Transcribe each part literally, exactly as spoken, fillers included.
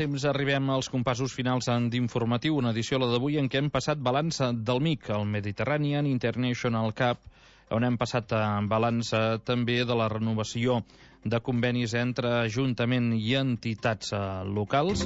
temps arribem als compassos finals d'informatiu, una edició, la d'avui, en què hem passat balanç del M I C, el Mediterranean International Cup, on hem passat balanç també de la renovació de convenis entre Ajuntament i entitats locals.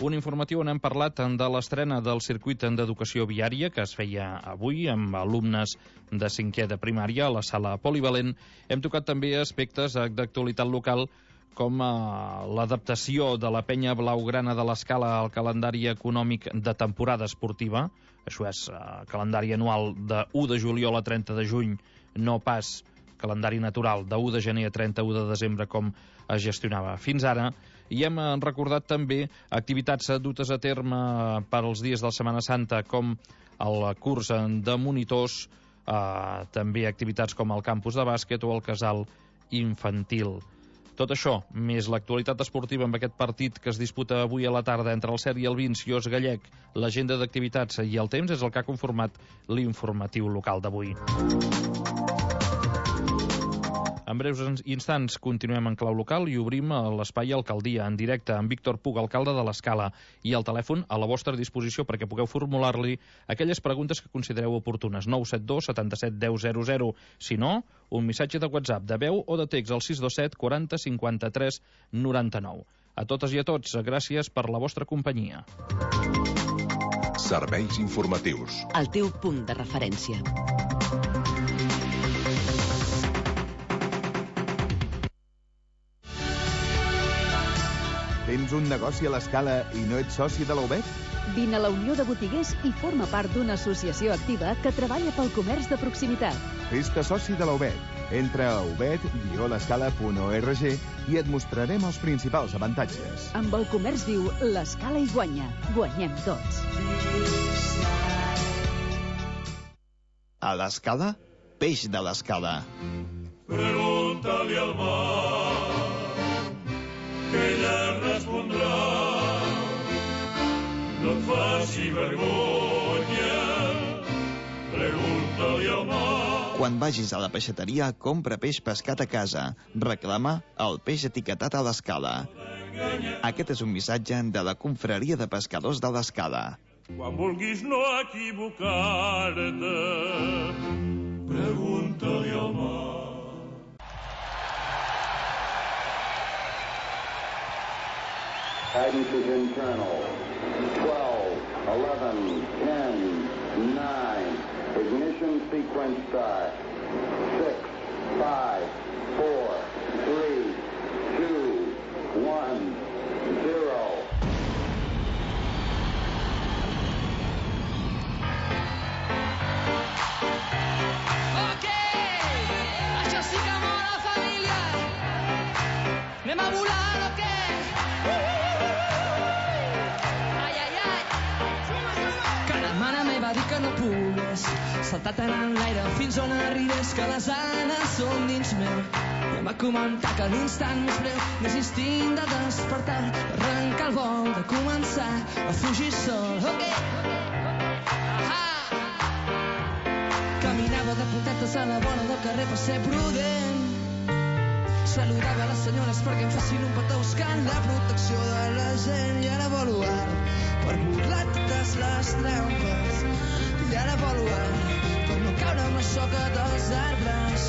Un informatiu on hem parlat de l'estrena del circuit d'educació viària que es feia avui amb alumnes de cinquè de primària a la sala polivalent. Hem tocat també aspectes d'actualitat local com l'adaptació de la penya blaugrana de l'Escala al calendari econòmic de temporada esportiva. Això és calendari anual de u de juliol a trenta de juny, no pas calendari natural de u de gener a trenta-u de desembre com es gestionava fins ara. I hem recordat també activitats dutes a terme per als dies de la Setmana Santa, com el curs de monitors, eh, també activitats com el campus de bàsquet o el casal infantil. Tot això, més l'actualitat esportiva amb aquest partit que es disputa avui a la tarda entre el Ser i el Vins, Ios Gallec, l'agenda d'activitats i el temps és el que ha conformat l'informatiu local d'avui. En breus instants continuem en clau local i obrim l'espai Alcaldia en directe amb Víctor Puig, alcalde de l'Escala, i el telèfon a la vostra disposició perquè pugueu formular-li aquelles preguntes que considereu oportunes. nou set dos setanta-set deu zero zero. Si no, un missatge de WhatsApp de veu o de text al sis dos set quaranta cinquanta-tres noranta-nou. A totes i a tots, gràcies per la vostra companyia. Serveis informatius. El teu punt de referència. Tens un negoci a l'Escala i no ets soci de la U B E T? Vine a la Unió de Botiguers i forma part d'una associació activa que treballa pel comerç de proximitat. Fes-te soci de la U B E T. Entra a ubet guió l'escala punt org i et mostrarem els principals avantatges. Amb el comerç viu, l'Escala hi guanya. Guanyem tots. A l'Escala, peix de l'Escala. Pregunta-li al mar, que ella respondrà. No et faci vergonya, pregunta-li al mar. Quan vagis a la peixateria, compra peix pescat a casa. Reclama el peix etiquetat a l'Escala. Aquest és un missatge de la Confraria de Pescadors de l'Escala. Quan vulguis no equivocar-te, pregunta-li al mar. Guidance is internal. twelve, eleven, ten, nine. Ignition sequence start. six, five, four, three, two, one, zero. Ok! Això sí que mola, família! Anem a volar, o què? Va dir que no pugues saltar tant en l'aire fins on arribés, que les ales són dins meu. I em va comentar que l'instant més breu més instint de despertar, arrencar el vol, de començar a fugir sol. Ok! Ah! Caminava de puntetes a la vora del carrer per ser prudent. Saludava les senyores perquè em facin un petó buscant la protecció de la gent. I ara volo alt per burlar totes les trampes. I ara volo alt per no caure amb la soca dels arbres.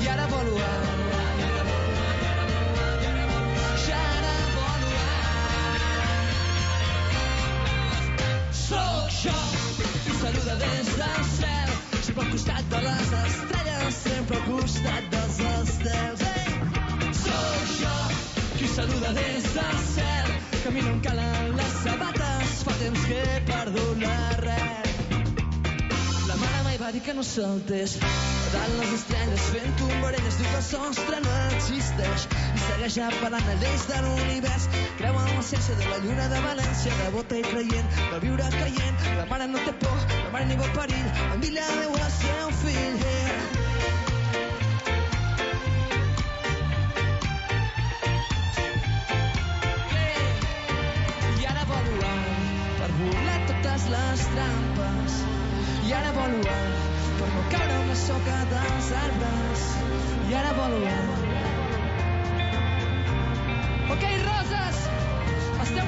I ara volo alt. I ara volo alt. Sóc jo qui saluda des del cel, sempre al costat de les estrelles, sempre al costat dels estels. Sóc jo qui saluda des del cel, camino en calen les sabates, fa temps que he perdut l'arrel. La mare mai va dir que no saltés dalt les estrelles fent tombarelles, diu que el sostre no existeix i segueix apel·lant a lleis de l'univers. Creu en l'essència de la lluna de València, devota i creient, de viure caient. La mare no té por, la mare ni vol perill, envia Déu al seu fill. Yeah. Les trampes i ara volo alt per no caure amb la soca dels arbres. I ara volo alt. Ok, roses, esteu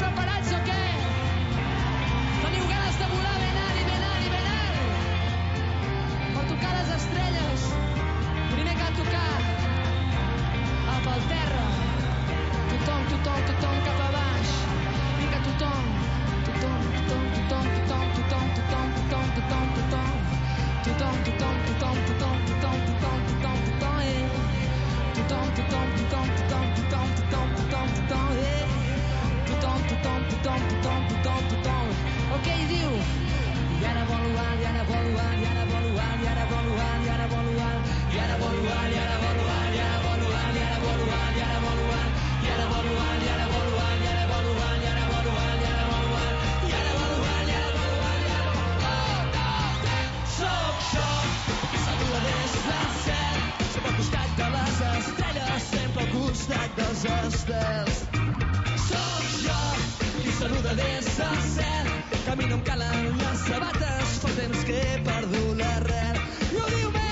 del cel. Camino em calen les sabates, fa temps que he perdut l'arrel. I ho diu bé.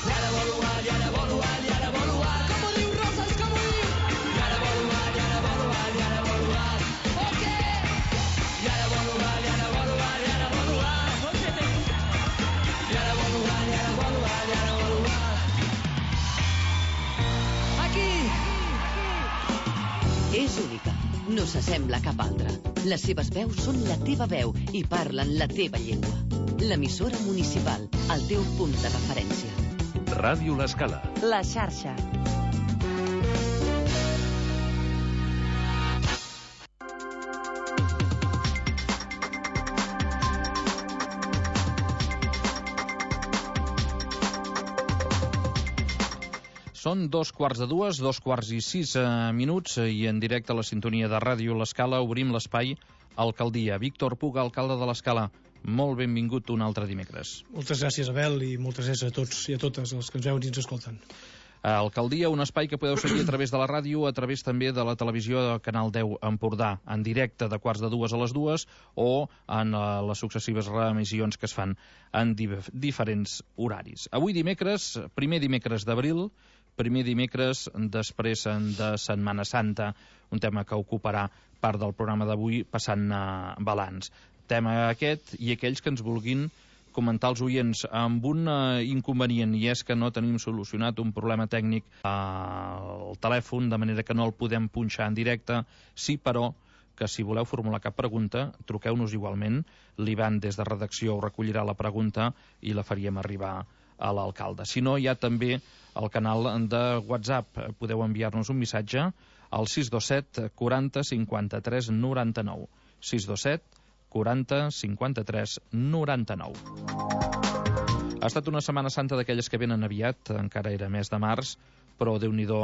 I ara volo alt, i ara volo alt, i ara volo alt. Com ho diu Roses, com ho diu? I ara volo alt, i ara volo alt, i ara volo alt. Ok. I ara volo alt, i ara volo alt, i ara volo alt. Ok. I ara volo alt, i ara volo alt, i ara volo alt. Aquí. És única. No s'assembla a cap altra. Les seves veus són la teva veu i parlen la teva llengua. L'emissora municipal, el teu punt de referència. Ràdio L'Escala. La xarxa. Són dos quarts de dues, dos quarts i sis eh, minuts i en directe a la sintonia de Ràdio L'Escala obrim l'espai Alcaldia. Víctor Puga, alcalde de l'Escala, molt benvingut un altre dimecres. Moltes gràcies, Abel, i moltes gràcies a tots i a totes els que ens veuen i ens escolten. Alcaldia, un espai que podeu seguir a través de la ràdio, a través també de la televisió de Canal deu Empordà, en directe de quarts de dues a les dues o en uh, les successives reemissions que es fan en dif diferents horaris. Avui dimecres, primer dimecres d'abril, primer dimecres després de Setmana Santa, un tema que ocuparà part del programa d'avui passant a balanç. Tema aquest i aquells que ens vulguin comentar els oients amb un uh, inconvenient, i és que no tenim solucionat un problema tècnic al uh, telèfon, de manera que no el podem punxar en directe. Sí, però, que si voleu formular cap pregunta, truqueu-nos igualment. L'Ivan des de redacció us recollirà la pregunta i la faríem arribar a l'alcalde. Si no, hi ha també el canal de WhatsApp. Podeu enviar-nos un missatge al sis dos set quaranta cinquanta-tres noranta-nou. sis dos set quaranta cinquanta-tres noranta-nou. Ha estat una Setmana Santa d'aquelles que venen aviat, encara era mes de març, però Déu-n'hi-do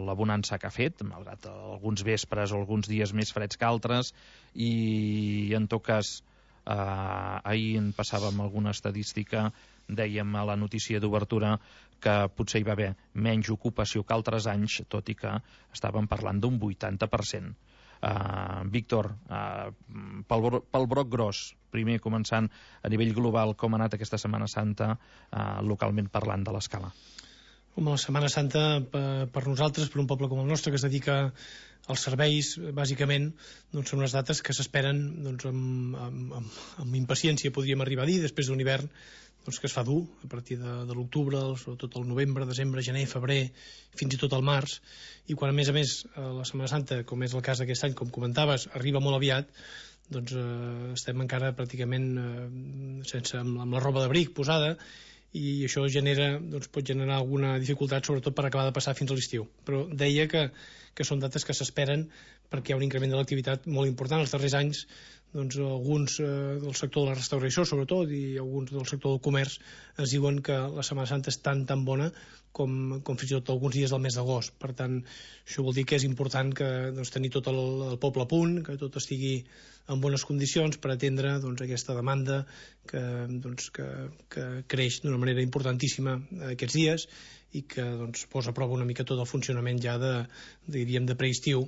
la bonança que ha fet, malgrat alguns vespres o alguns dies més freds que altres, i en tot cas eh, ahir en passàvem alguna estadística, dèiem a la notícia d'obertura que potser hi va haver menys ocupació que altres anys, tot i que estàvem parlant d'un vuitanta per cent. Uh, Víctor, uh, pel, pel broc gros, primer començant a nivell global, com ha anat aquesta Setmana Santa uh, localment parlant de l'Escala? Home, la Setmana Santa per, per nosaltres, per un poble com el nostre que es dedica als serveis, bàsicament, doncs són unes dates que s'esperen doncs, amb, amb, amb, amb impaciència, podríem arribar a dir, després d'un hivern doncs, que es fa dur, a partir de, de l'octubre, sobretot el novembre, desembre, gener, febrer, fins i tot el març, i quan a més a més la Setmana Santa, com és el cas d'aquest any, com comentaves, arriba molt aviat, doncs eh, estem encara pràcticament eh, sense, amb, amb la roba d'abric posada, i això genera, doncs, pot generar alguna dificultat, sobretot per acabar de passar fins a l'estiu. Però deia que, que són dates que s'esperen perquè hi ha un increment de l'activitat molt important. Els darrers anys, doncs, alguns eh, del sector de la restauració, sobretot, i alguns del sector del comerç, ens diuen que la Setmana Santa és tan, tan bona com, com fins i tot alguns dies del mes d'agost. Per tant, això vol dir que és important que, doncs, tenir tot el, el poble a punt, que tot estigui en bones condicions per atendre doncs, aquesta demanda que, doncs, que, que creix d'una manera importantíssima aquests dies i que doncs, posa a prova una mica tot el funcionament ja de, diríem, de preestiu.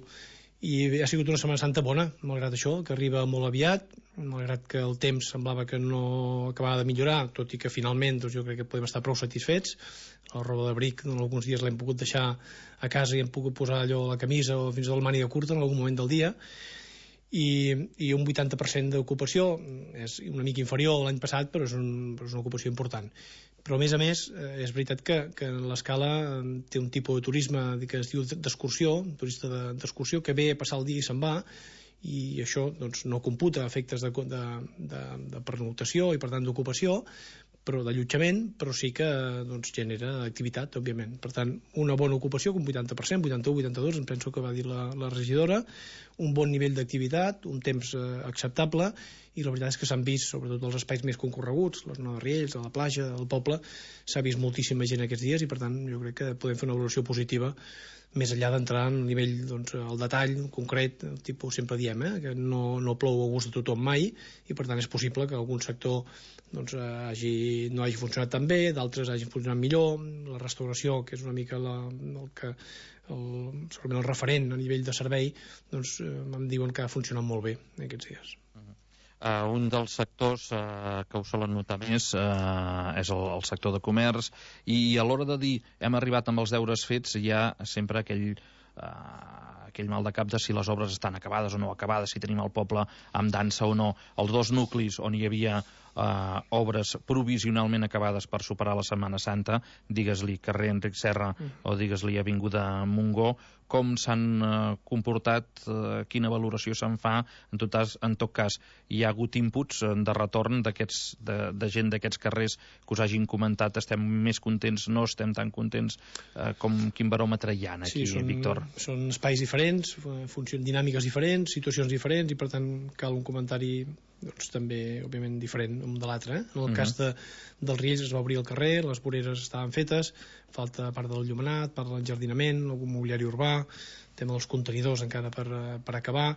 I ha sigut una Setmana Santa bona, malgrat això, que arriba molt aviat, malgrat que el temps semblava que no acabava de millorar, tot i que finalment doncs, jo crec que podem estar prou satisfets. La roba d'abric en alguns dies l'hem pogut deixar a casa i hem pogut posar allò a la camisa o fins i tot la màniga curta en algun moment del dia, i, i un vuitanta per cent d'ocupació és una mica inferior a l'any passat, però és, un, però és una ocupació important. Però a més a més és veritat que, que l'Escala té un tipus de turisme que es diu d'excursió, un turista d'excursió que ve a passar el dia i se'n va, i això doncs, no computa efectes de, de, de, de pernoctació i per tant d'ocupació, però d'allotjament, però sí que doncs, genera activitat, òbviament. Per tant, una bona ocupació, un vuitanta per cent, vuitanta-u, vuitanta-dos, em penso que va dir la, la regidora, un bon nivell d'activitat, un temps eh, acceptable, i la veritat és que s'han vist, sobretot els espais més concorreguts, la zona de Riells, a la platja, al poble, s'ha vist moltíssima gent aquests dies i per tant jo crec que podem fer una valoració positiva més enllà d'entrar en el nivell, doncs, el detall concret, el tipus sempre diem, eh, que no, no plou a gust de tothom mai i per tant és possible que algun sector doncs, hagi, no hagi funcionat tan bé, d'altres hagin funcionat millor, la restauració, que és una mica la, el que el, segurament el referent a nivell de servei, doncs em diuen que ha funcionat molt bé aquests dies. Uh, un dels sectors uh, que ho solen notar més uh, és el, el sector de comerç, i a l'hora de dir hem arribat amb els deures fets hi ha sempre aquell, uh, aquell mal de cap de si les obres estan acabades o no acabades, si tenim el poble amb dansa o no. Els dos nuclis on hi havia uh, obres provisionalment acabades per superar la Setmana Santa, digues-li carrer Enric Serra mm. o digues-li Avinguda Montgó, com s'han uh, comportat, uh, quina valoració se'n fa. En tot cas, en tot cas hi ha hagut inputs de retorn d'aquests, de, de gent d'aquests carrers que us hagin comentat, estem més contents, no estem tan contents, uh, com quin baròmetre hi ha aquí, sí, són, Víctor? Són espais diferents, funcions dinàmiques diferents, situacions diferents, i per tant cal un comentari doncs, també, òbviament, diferent un de l'altre. Eh? En el uh-huh. cas de, dels Riells es va obrir el carrer, les voreres estaven fetes, falta part del llumenat, part de l'enjardinament, algun mobiliari urbà, tema dels contenidors encara per, per acabar,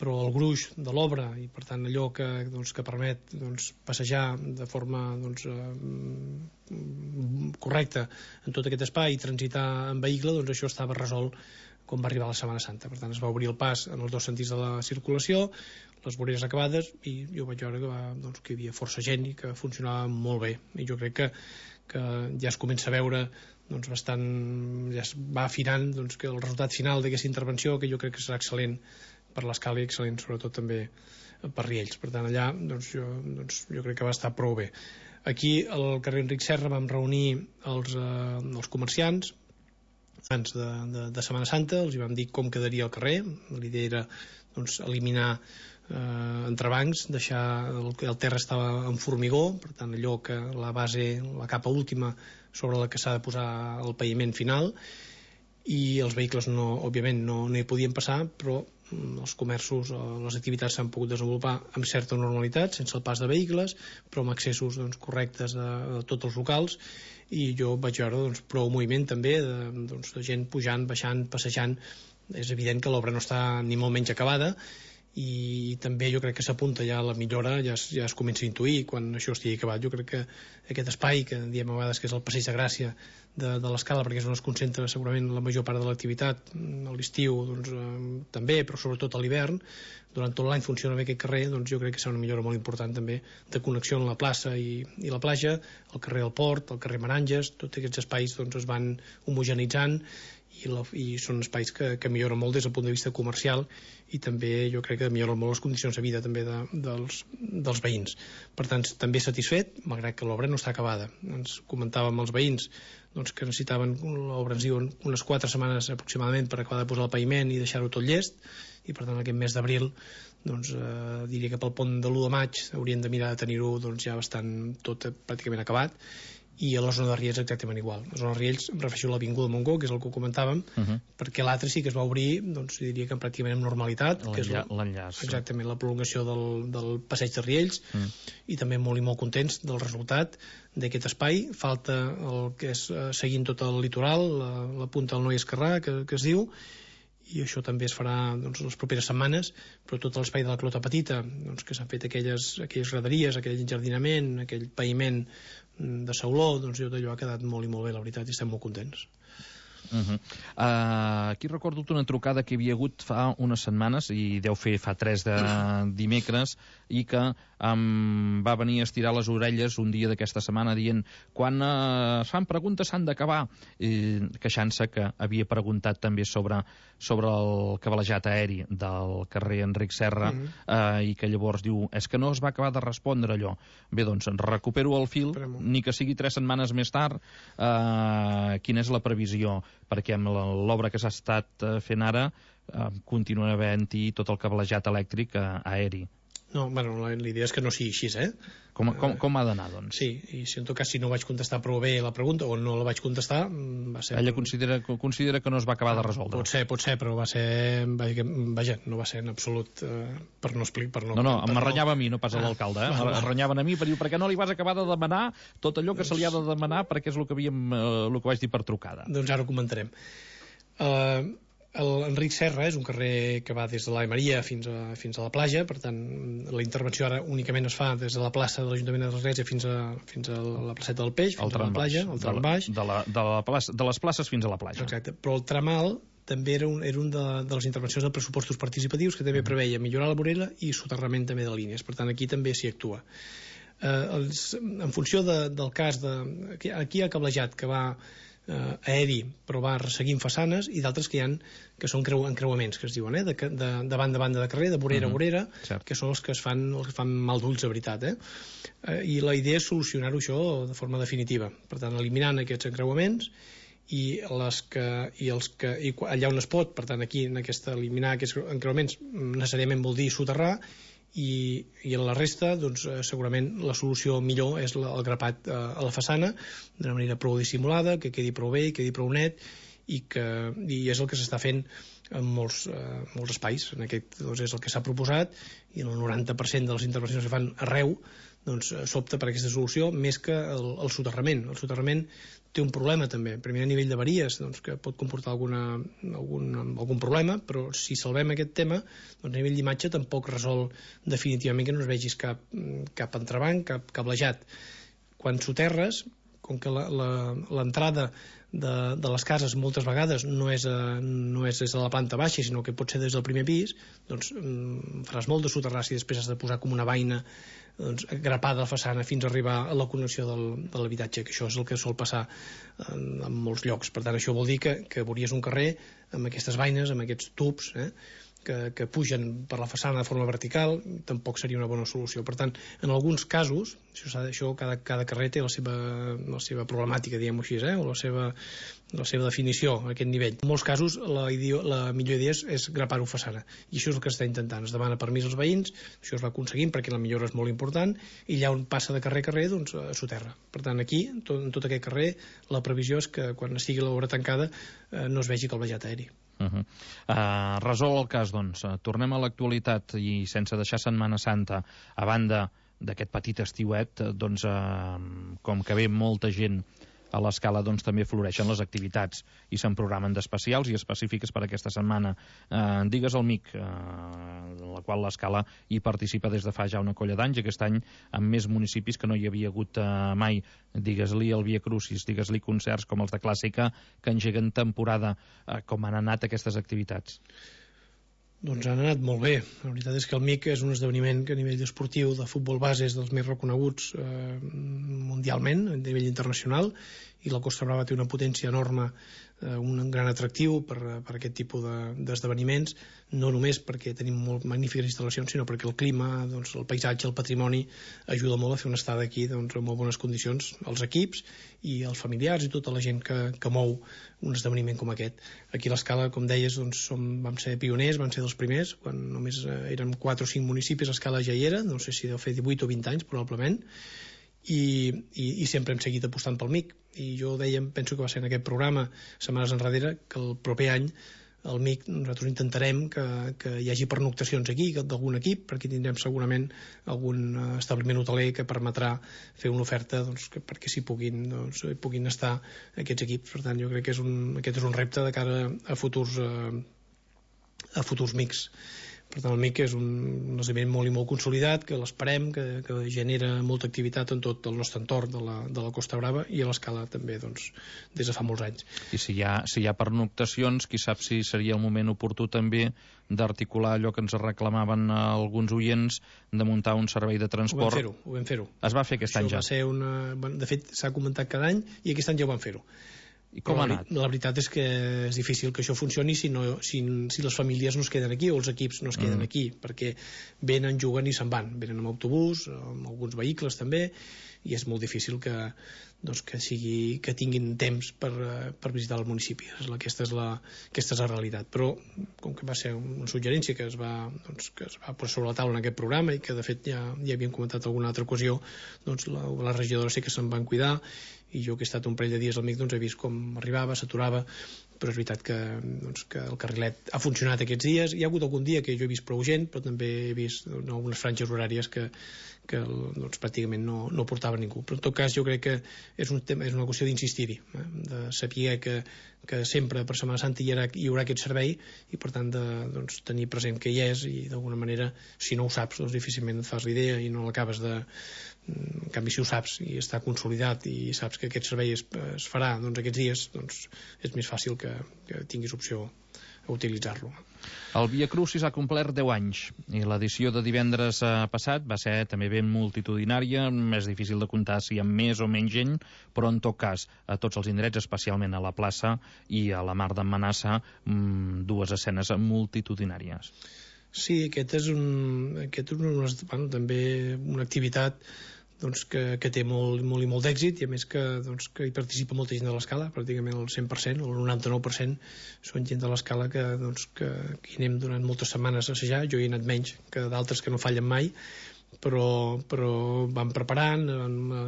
però el gruix de l'obra, i per tant allò que, doncs, que permet doncs, passejar de forma doncs, eh, correcta en tot aquest espai i transitar en vehicle, doncs això estava resolt quan va arribar la Setmana Santa. Per tant, es va obrir el pas en els dos sentits de la circulació, les voreres acabades, i jo vaig veure que, va, doncs, que hi havia força gent i que funcionava molt bé. I jo crec que, que ja es comença a veure doncs, bastant, ja es va afinant doncs, que el resultat final d'aquesta intervenció, que jo crec que serà excel·lent per l'escala i excel·lent sobretot també per Riells. Per tant, allà doncs, jo, doncs, jo crec que va estar prou bé. Aquí, al carrer Enric Serra, vam reunir els, eh, els comerciants abans de, de, de Setmana Santa, els hi vam dir com quedaria el carrer. L'idea era doncs, eliminar eh, entrebancs, deixar el, el terra estava en formigó, per tant allò que la base, la capa última sobre la que s'ha de posar el paviment final, i els vehicles no, òbviament no, no hi podien passar, però els comerços, les activitats s'han pogut desenvolupar amb certa normalitat, sense el pas de vehicles, però amb accessos doncs, correctes a, a tots els locals, i jo vaig veure doncs, prou moviment també de, doncs, de gent pujant, baixant, passejant. És evident que l'obra no està ni molt menys acabada, i també jo crec que s'apunta ja a la millora, ja es, ja es comença a intuir quan això estigui acabat. Jo crec que aquest espai, que diem a vegades que és el Passeig de Gràcia de, de l'Escala, perquè és on es concentra segurament la major part de l'activitat, a l'estiu doncs, eh, també, però sobretot a l'hivern, durant tot l'any funciona bé aquest carrer, doncs jo crec que serà una millora molt important també de connexió amb la plaça i, i la platja, el carrer del Port, el carrer Meranges, tots aquests espais doncs, es van homogenitzant, i, la, i són espais que, que milloren molt des del punt de vista comercial, i també jo crec que milloren molt les condicions de vida també de, dels, dels veïns. Per tant, també satisfet, malgrat que l'obra no està acabada. Ens comentàvem els veïns doncs, que necessitaven, l'obra ens diuen, unes quatre setmanes aproximadament per acabar de posar el paviment i deixar-ho tot llest, i per tant aquest mes d'abril doncs, eh, diria que pel pont de l'u de maig haurien de mirar de tenir-ho doncs, ja bastant tot pràcticament acabat. I a la zona de Riells exactament igual. A la zona de Riells em refereixo a l'Avinguda Montgó, que és el que comentàvem, uh-huh. perquè l'altre sí que es va obrir, doncs diria que pràcticament amb normalitat, que és l'enllaç. Exactament, la prolongació del, del passeig de Riells, uh-huh. i també molt i molt contents del resultat d'aquest espai. Falta el que és eh, seguint tot el litoral, la, la punta del Noi Esquerrà, que, que es diu, i això també es farà doncs, les properes setmanes, però tot l'espai de la Clota Petita, doncs, que s'han fet aquelles, aquelles graderies, aquell enjardinament, aquell paviment de sauló, doncs tot allò ha quedat molt i molt bé, la veritat, i estem molt contents. Uh-huh. uh, aquí recordo una trucada que hi havia hagut fa unes setmanes, i deu fer fa tres de dimecres, i que um, va venir a estirar les orelles un dia d'aquesta setmana dient quan uh, es fan preguntes s'han d'acabar, eh, queixant-se que havia preguntat també sobre, sobre el cablejat aeri del carrer Enric Serra, uh-huh. uh, i que llavors diu, és que no es va acabar de respondre allò. Bé, doncs recupero el fil, Premo. ni que sigui tres setmanes més tard. Uh, quina és la previsió? Perquè amb l'obra que s'ha estat fent ara eh, continuarà havent-hi tot el cablejat elèctric eh, aeri. No, bueno, la, la idea és que no sigui així, eh? Com, com, com ha d'anar, doncs? Sí, i si en tot cas si no vaig contestar prou bé la pregunta, o no la vaig contestar, va ser... Ella considera, considera que no es va acabar de resoldre. Pot ser, pot ser, però va ser... Vaja, no va ser en absolut eh, per no explicar... Per no, no, no, per m'arrenyava no... a mi, no pas a l'alcalde, eh? Ah, m'arrenyaven a mi per dir, per què no li vas acabar de demanar tot allò que se li ha de demanar, perquè és el que, havíem, eh, el que vaig dir per trucada. Doncs ara ho comentarem. Uh, L'Enric Serra és un carrer que va des de l'Ave Maria fins a, fins a la platja, per tant la intervenció ara únicament es fa des de la plaça de l'Ajuntament de l'Església fins a, fins a la placeta del Peix, fins el a la platja, el tram baix. De, la, de, la plaça, de les places fins a la platja. Exacte, però el tram alt també era un, era un de, de les intervencions de pressupostos participatius que també preveia millorar la vorera i soterrament també de línies. Per tant, aquí també s'hi actua. Eh, els, en funció de, del cas de... Aquí, aquí hi ha cablejat que va eh, aeri, però va resseguint façanes, i d'altres que hi ha que són creu, encreuaments, que es diuen, eh, de, de, de banda a banda de carrer, de vorera a uh-huh. vorera, Cert. que són els que es fan, els que fan mal d'ulls, de veritat. Eh? Eh, I la idea és solucionar-ho això de forma definitiva. Per tant, eliminant aquests encreuaments i, les que, i, els que, i allà on es pot, per tant aquí en aquesta, eliminar aquests encreuaments necessàriament vol dir soterrar, i, i en la resta doncs, segurament la solució millor és la, el grapat eh, a la façana d'una manera prou dissimulada, que quedi prou bé, que quedi prou net, i, que, i és el que s'està fent en molts, eh, molts espais. En aquest doncs, és el que s'ha proposat, i el noranta per cent de les intervencions que fan arreu doncs, s'opta per aquesta solució més que el, el soterrament. El soterrament té un problema també, primer a nivell de varies, doncs, que pot comportar alguna, algun, algun problema, però si salvem aquest tema, doncs, a nivell d'imatge tampoc resol definitivament que no es vegis cap, cap entrebanc, cap cablejat. Quan soterres, com que l'entrada de, de les cases moltes vegades no és, a, no és des de la planta baixa, sinó que pot ser des del primer pis, doncs faràs molt de soterrar si després has de posar com una vaina doncs, grapada a la façana fins a arribar a la connexió del, de l'habitatge, que això és el que sol passar en, en molts llocs. Per tant, això vol dir que, que veuries un carrer amb aquestes vaines, amb aquests tubs, eh, que, que pugen per la façana de forma vertical, tampoc seria una bona solució. Per tant, en alguns casos, això, això cada, cada carrer té la seva, la seva problemàtica, diguem-ho així, eh, o la seva, la seva definició a aquest nivell. En molts casos la, ideo, la millor idea és, és grapar-ho façana, i això és el que s'està intentant. Es demana permís als veïns, això es va aconseguint perquè la millora és molt important, i allà on passa de carrer a carrer doncs soterra. Per tant, aquí, tot, en tot aquest carrer, la previsió és que quan estigui l'obra tancada eh, no es vegi cablejat aeri. Uh -huh. uh, resol el cas, doncs. Uh, tornem a l'actualitat i sense deixar Setmana Santa, a banda d'aquest petit estiuet, uh, doncs, uh, com que ve molta gent a l'Escala, doncs també floreixen les activitats i se'n programen d'especials i específiques per aquesta setmana. Eh, digues el M I C, eh, la qual l'Escala hi participa des de fa ja una colla d'anys, aquest any amb més municipis que no hi havia hagut eh, mai. Digues-li el Via Crucis, digues-li concerts com els de Clàssica, que engeguen temporada. Eh, com han anat aquestes activitats? Doncs han anat molt bé. La veritat és que el M I C és un esdeveniment que a nivell esportiu de futbol base és dels més reconeguts eh, mundialment, a nivell internacional, i la Costa Brava té una potència enorme, eh, un gran atractiu per, per aquest tipus d'esdeveniments, de, no només perquè tenim molt magnífiques instal·lacions, sinó perquè el clima, doncs, el paisatge, el patrimoni ajuda molt a fer una estada aquí doncs, en molt bones condicions, els equips i els familiars i tota la gent que, que mou un esdeveniment com aquest. Aquí a l'Escala, com deies, doncs, som, vam ser pioners, vam ser dels primers, quan només eh, érem quatre o cinc municipis, l'Escala ja hi era, no sé si deu fer divuit o vint anys, probablement, i, i, i sempre hem seguit apostant pel M I C. I jo deia, penso que va ser en aquest programa, setmanes enrere, que el proper any el M I C nosaltres intentarem que, que hi hagi pernoctacions aquí d'algun equip, perquè tindrem segurament algun establiment hoteler que permetrà fer una oferta doncs, que, perquè s'hi puguin, doncs, puguin estar aquests equips. Per tant, jo crec que és un, aquest és un repte de cara a futurs, a, a futurs M I Cs. Per tant, el M I C és un, un esdeveniment molt i molt consolidat, que l'esperem, que, que genera molta activitat en tot el nostre entorn de la, de la Costa Brava i a l'Escala també, doncs, des de fa molts anys. I si hi ha, si hi ha pernoctacions, qui sap si seria el moment oportú també d'articular allò que ens reclamaven alguns oients, de muntar un servei de transport. Ho vam fer-ho, ho vam fer-ho. Es va fer aquest Això any ja. Va ser una... De fet, s'ha comentat cada any i aquest any ja ho vam fer-ho. I com ha anat? La veritat és que és difícil que això funcioni si, no, si, si les famílies no es queden aquí o els equips no es queden mm. aquí, perquè venen, juguen i se'n van, venen amb autobús, amb alguns vehicles també, i és molt difícil que, doncs, que, sigui, que tinguin temps per, per visitar el municipi. Aquesta és, la, aquesta és la realitat. Però com que va ser una suggerència que es va, doncs, que es va posar sobre la taula en aquest programa i que de fet ja, ja havíem comentat alguna altra ocasió, doncs la, la regidora sí que se'n van cuidar, i jo que he estat un parell de dies al M I C doncs he vist com arribava, s'aturava, però és veritat que, doncs, que el carrilet ha funcionat aquests dies. Hi ha hagut algun dia que jo he vist prou gent, però també he vist doncs, algunes franges horàries que, que doncs, pràcticament no, no portava ningú. Però en tot cas jo crec que és, un tema, és una qüestió d'insistir-hi, eh? De saber que, que sempre per Setmana Santa hi haurà, hi haurà aquest servei i per tant de doncs, tenir present que hi és, i d'alguna manera si no ho saps doncs difícilment et fas l'idea i no l'acabes de... En canvi, si ho saps i està consolidat i saps que aquest servei es, es farà doncs, aquests dies, doncs és més fàcil que, que tinguis opció a utilitzar-lo. El Via Crucis ha complert deu anys i l'edició de divendres passat va ser també ben multitudinària, més difícil de comptar si hi ha més o menys gent, però en tot cas a tots els indrets, especialment a la plaça i a la Mar d'en Manassa, dues escenes multitudinàries. Sí, aquest és, un, aquest és una, bueno, també una activitat doncs, que, que té molt, molt i molt d'èxit, i a més que, doncs, que hi participa molta gent de l'Escala, pràcticament el cent per cent o el noranta-nou per cent són gent de l'Escala que, doncs, que, que hi anem durant moltes setmanes a assajar. Jo hi he anat menys que d'altres que no fallen mai, però, però van preparant.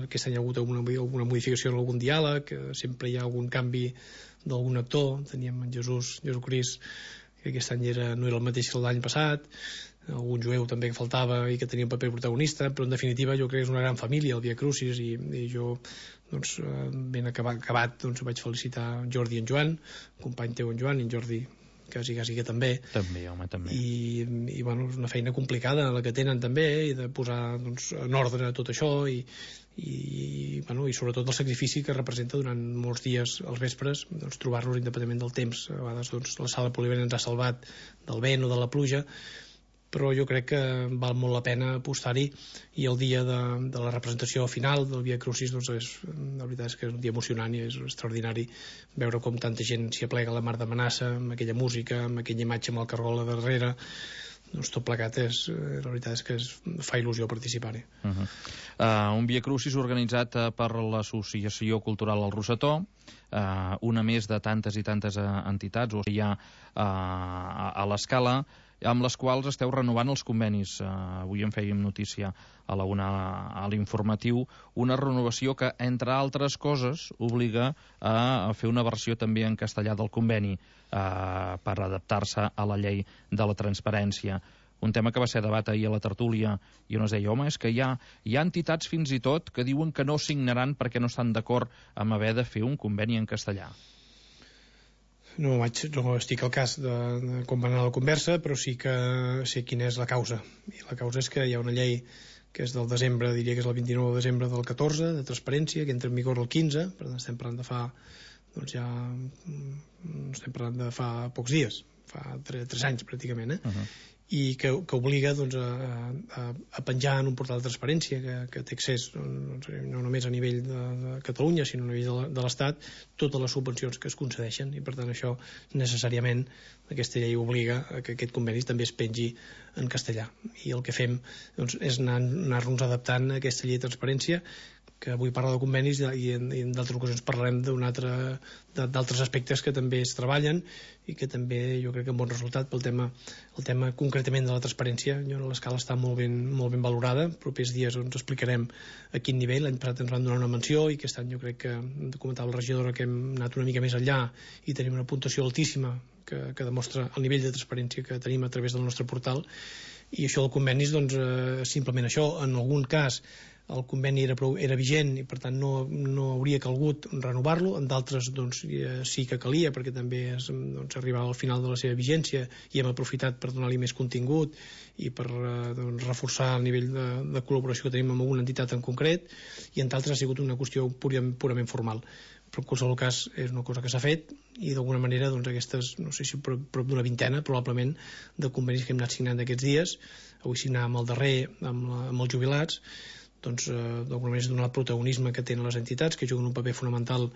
Aquest any hi ha hagut alguna, alguna modificació en algun diàleg, sempre hi ha algun canvi d'algun actor. Teníem en Jesús, Jesucrist, que aquest any era, no era el mateix que l'any passat, algun jueu també que faltava i que tenia un paper protagonista, però en definitiva jo crec que és una gran família el Via Crucis, i, i jo doncs, ben acabat, acabat doncs, vaig felicitar en Jordi i en Joan, company teu en Joan, i en Jordi quasi, quasi que també. També, home, també. I, i bueno, és una feina complicada la que tenen també, i de posar doncs, en ordre tot això, i, i, bueno, i sobretot el sacrifici que representa durant molts dies als vespres, doncs, trobar-los independentment del temps. A vegades doncs, la sala polivalent ens ha salvat del vent o de la pluja, però jo crec que val molt la pena apostar-hi, i el dia de, de la representació final del Via Crucis, doncs és, la veritat és que és un dia emocionant i és extraordinari veure com tanta gent s'hi aplega a la Mar de Manassa, amb aquella música, amb aquella imatge amb el cargol a darrere. Doncs tot plegat és, la veritat és que es fa il·lusió participar-hi. Uh -huh. uh, un Via Crucis organitzat uh, per l'Associació Cultural El Rosetó, uh, una més de tantes i tantes uh, entitats o hi ha uh, a, a l'Escala, amb les quals esteu renovant els convenis. Uh, avui en fèiem notícia a la una a l'informatiu, una renovació que, entre altres coses, obliga a, a fer una versió també en castellà del conveni uh, per adaptar-se a la llei de la transparència. Un tema que va ser debat ahir a la tertúlia, i on es deia, home, és que hi ha, hi ha entitats fins i tot que diuen que no signaran perquè no estan d'acord amb haver de fer un conveni en castellà. No, vaig, no estic al cas de, de com va anar la conversa, però sí que sé quina és la causa. I la causa és que hi ha una llei que és del desembre, diria que és el vint-i-nou de desembre del catorze, de transparència, que entra en vigor el quinze, per tant estem parlant de fa, doncs ja, estem parlant de fa pocs dies, fa tres, tres anys pràcticament, eh? Uh-huh. I que, que obliga doncs, a, a, a penjar en un portal de transparència que, que té accés doncs, no només a nivell de, de Catalunya, sinó a nivell de, de l'Estat, totes les subvencions que es concedeixen, i per tant això necessàriament aquesta llei obliga a que aquest conveni també es pengi en castellà, i el que fem doncs, és anar, anar-nos adaptant a aquesta llei de transparència, que avui parla de convenis, i en, en d'altres ocasions parlarem d'altres aspectes que també es treballen i que també jo crec que amb bon resultat pel tema, el tema concretament de la transparència. L'Escala està molt ben, molt ben valorada, propers dies ens explicarem a quin nivell. L'any passat ens van donar una menció, i aquest any jo crec que comentava la regidora que hem anat una mica més enllà i tenim una puntuació altíssima que, que demostra el nivell de transparència que tenim a través del nostre portal. I això del convenis, doncs, eh, simplement això. En algun cas el conveni era, prou, era vigent i per tant no, no hauria calgut renovar-lo, en d'altres doncs, sí que calia, perquè també es, doncs, arribava al final de la seva vigència i hem aprofitat per donar-li més contingut i per doncs, reforçar el nivell de, de col·laboració que tenim amb alguna entitat en concret, i en d'altres ha sigut una qüestió purament, purament formal. Però en qualsevol cas és una cosa que s'ha fet, i d'alguna manera doncs, aquestes, no sé si prop, prop d'una vintena probablement de convenis que hem anat signant aquests dies, avui signàvem el darrer amb, la, amb els jubilats, doncs, eh, d'alguna manera és donar el protagonisme que tenen les entitats, que juguen un paper fonamental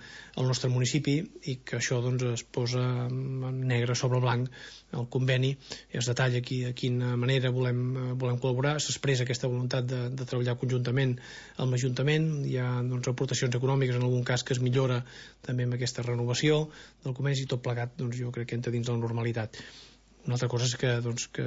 al nostre municipi, i que això doncs, es posa negre sobre blanc el conveni, es detalla aquí de quina manera volem, volem col·laborar, s'expressa aquesta voluntat de, de treballar conjuntament amb l'Ajuntament, hi ha doncs, aportacions econòmiques en algun cas que es millora també amb aquesta renovació del conveni, i tot plegat doncs, jo crec que entra dins la normalitat. Una altra cosa és que, doncs, que,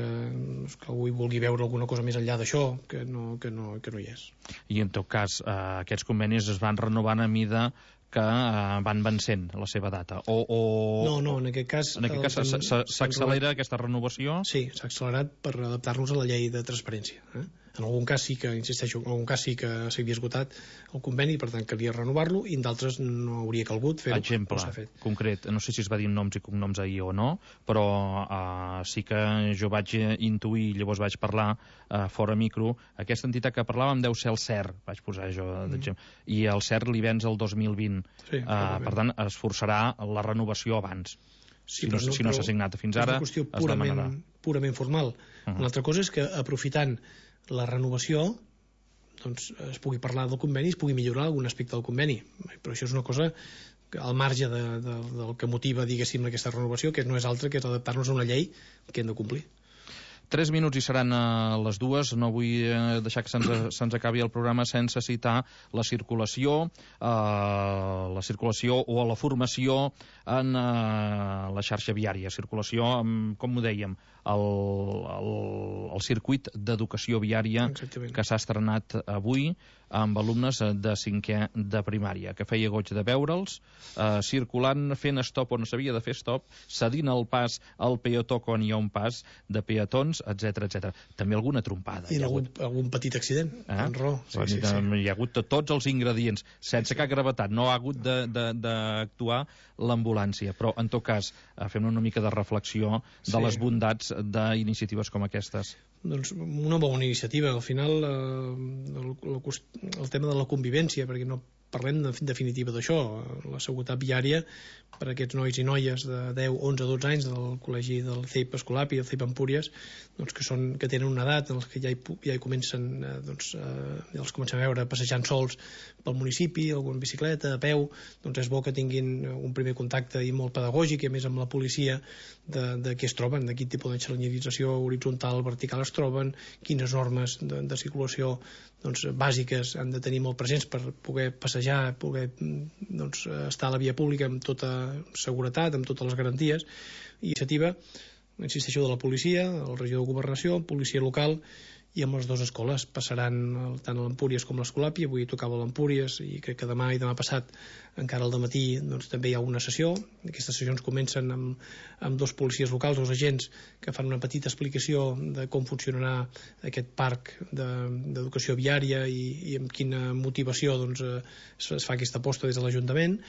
que algú vulgui veure alguna cosa més enllà d'això, que no, que, no, que no hi és. I en tot cas, eh, aquests convenis es van renovant a mida que eh, van vencent la seva data? O, o... No, no, en aquest cas... En aquest cas s'accelera aquesta renovació? Sí, s'ha accelerat per adaptar-nos a la llei de transparència. Eh? En algun cas sí que, insisteixo, en algun cas sí que s'havia esgotat el conveni, per tant calia renovar-lo, i en d'altres no hauria calgut fer-ho. Exemple concret, no sé si es va dir noms i cognoms ahir o no, però uh, sí que jo vaig intuir, llavors vaig parlar uh, fora micro, aquesta entitat que parlàvem deu ser el C E R, vaig posar jo d'exemple, mm. i el C E R li venç el dos mil vint. Sí, uh, per tant, es forçarà la renovació abans. Sí, si no, no, si no s'ha signat fins ara, és una qüestió es purament, demanarà. purament formal. Uh -huh. Una altra cosa és que, aprofitant la renovació, doncs es pugui parlar del conveni, es pugui millorar algun aspecte del conveni. Però això és una cosa que, al marge de, de, del que motiva, diguéssim, aquesta renovació, que no és altra que és adaptar-nos a una llei que hem de complir. Tres minuts i seran a les dues. No vull deixar que se'ns se acabi el programa sense citar la circulació, eh, la circulació o la formació en eh, la xarxa viària. Circulació, amb, com ho dèiem, el, el, el circuit d'educació viària Exactament. Que s'ha estrenat avui amb alumnes de cinquè de primària, que feia goig de veure'ls eh, circulant, fent stop on s'havia de fer stop, cedint el pas al peató quan hi ha un pas de peatons, etcètera, etcètera. També alguna trompada. I algun, algun petit accident, eh? en raó. Sí, sí, sí, sí. Hi ha hagut tots els ingredients, sense cap gravetat. No ha hagut d'actuar l'ambulància, però en tot cas fem una mica de reflexió de sí. les bondats d'iniciatives com aquestes. Doncs una bona iniciativa. Al final eh, el, el, el tema de la convivència, perquè no parlem en definitiva d'això, la seguretat viària per a aquests nois i noies de deu, onze, dotze anys del col·legi del C E I P Escolapi, el C E I P Empúries, doncs que, són, que tenen una edat en els que ja hi, ja hi comencen eh, doncs, eh, ja els comencem a veure passejant sols pel municipi, algun bicicleta, a peu, doncs és bo que tinguin un primer contacte i molt pedagògic, i a més amb la policia de, de què es troben, de quin tipus de senyalització horitzontal, vertical es troben, quines normes de, de circulació doncs, bàsiques han de tenir molt presents per poder passejar, poder doncs, estar a la via pública amb tota seguretat, amb totes les garanties. I iniciativa, insisteixo, de la policia, el regidor de Governació, policia local, i amb les dues escoles passaran tant a l'Empúries com a l'Escolapi. Avui tocava l'Empúries i crec que demà i demà passat encara al dematí doncs, també hi ha una sessió. Aquestes sessions comencen amb, amb dos policies locals, dos agents que fan una petita explicació de com funcionarà aquest parc d'educació de, viària i, i amb quina motivació doncs, es, es fa aquesta aposta des de l'Ajuntament.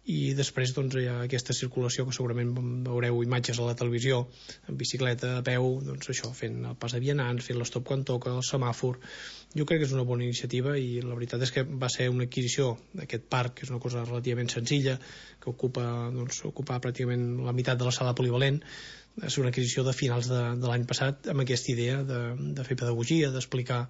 I després doncs, hi ha aquesta circulació que segurament veureu imatges a la televisió en bicicleta, a peu, doncs això, fent el pas de vianants, fent l'estop quan toca, el semàfor. Jo crec que és una bona iniciativa i la veritat és que va ser una adquisició d'aquest parc, que és una cosa relativament senzilla, que ocupa, doncs, ocupa pràcticament la meitat de la sala polivalent. És una adquisició de finals de, de l'any passat amb aquesta idea de, de fer pedagogia, d'explicar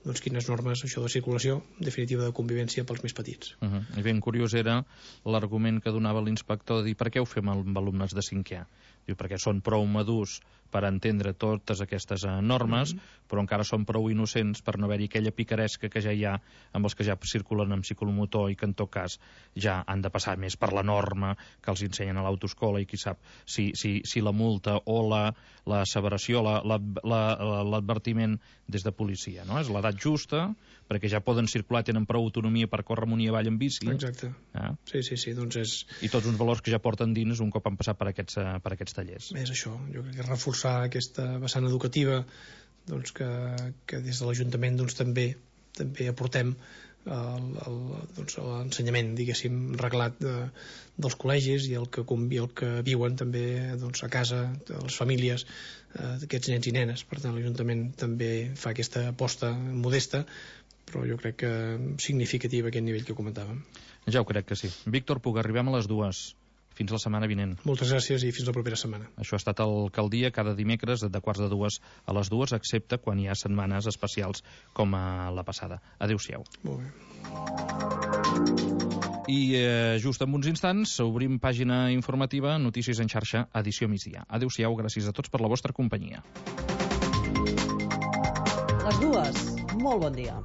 doncs, quines normes, això de circulació, en definitiva de convivència pels més petits. Uh -huh. I ben curiós era l'argument que donava l'inspector de dir per què ho fem amb alumnes de cinquè? Diu, perquè són prou madurs per entendre totes aquestes uh, normes, mm -hmm. però encara són prou innocents per no haver-hi aquella picaresca que ja hi ha amb els que ja circulen amb ciclomotor i que en tot cas ja han de passar més per la norma que els ensenyen a l'autoescola, i qui sap si, si, si la multa o la, la asseveració, l'advertiment la, la, des de policia, no? És l'edat justa, perquè ja poden circular, tenen prou autonomia per córrer amunt i avall en bici. Exacte. Eh? Sí, sí, sí, doncs és... I tots uns valors que ja porten dins un cop han passat per aquests, per aquests tallers. És això, jo crec que reforçar aquesta vessant educativa doncs que, que des de l'Ajuntament doncs, també també aportem l'ensenyament, doncs, diguéssim, reglat de, dels col·legis i el que, el que viuen també doncs, a casa, les famílies eh, d'aquests nens i nenes. Per tant, l'Ajuntament també fa aquesta aposta modesta, però jo crec que significativa a aquest nivell que comentàvem. Ja ho crec que sí. Víctor Puga, arribem a les dues. Fins la setmana vinent. Moltes gràcies i fins la propera setmana. Això ha estat el Caldia cada dimecres de quarts de dues a les dues, excepte quan hi ha setmanes especials com a la passada. Adéu-siau. Molt bé. I eh, just en uns instants obrim pàgina informativa, Notícies en xarxa, edició migdia. Adéu-siau, gràcies a tots per la vostra companyia. Les dues, molt bon dia.